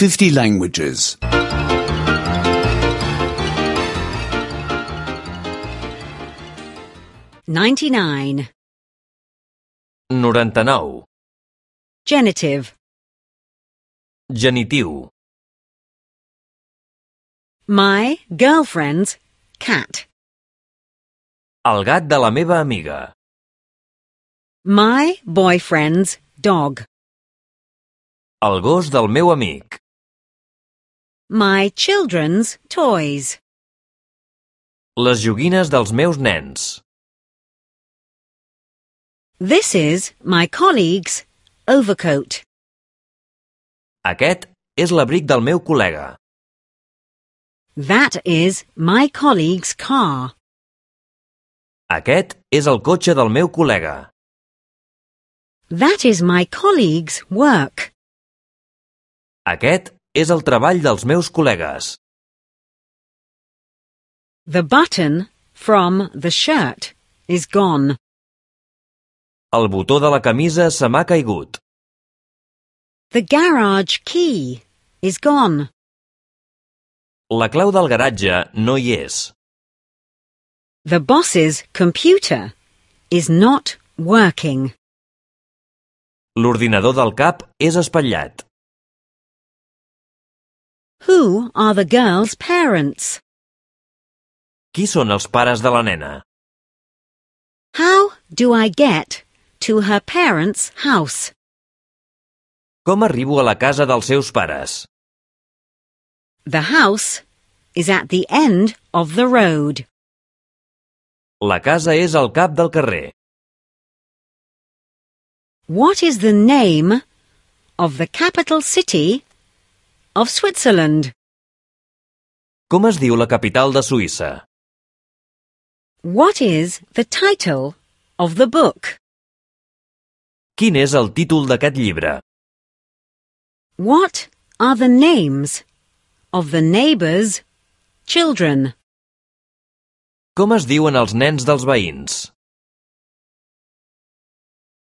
50 languages. 99. 99. Genitive. Genitiu. My girlfriend's cat. El gat de la meva amiga. My boyfriend's dog. El gos del meu amic. My children's toys. Les joguines dels meus nens. This is my colleague's overcoat. Aquest és l'abric del meu col·lega. That is my colleague's car. Aquest és el cotxe del meu col·lega. That is my colleague's work. Aquest és el treball dels meus col·legues. The button from the shirt is gone. El botó de la camisa se m'ha caigut. The garage key is gone. La clau del garatge no hi és. The boss's computer is not working. L'ordinador del cap és espatllat. Who are the girl's parents? Qui són els pares de la nena? How do I get to her parents' house? Com arribo a la casa dels seus pares? The house is at the end of the road. La casa és al cap del carrer. What is the name of the capital city of Switzerland? Com es diu la capital de Suïssa? What is the title of the book? Quin és el títol d'aquest llibre? What are the names of the neighbors' children? Com es diuen els nens dels veïns?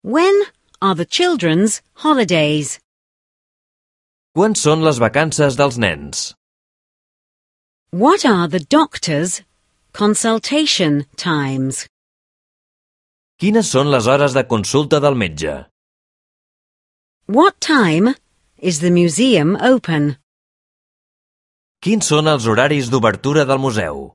When are the children's holidays? Quan són les vacances dels nens? What are the doctor's consultation times? Quines són les hores de consulta del metge? What time is the museum open? Quins són els horaris d'obertura del museu?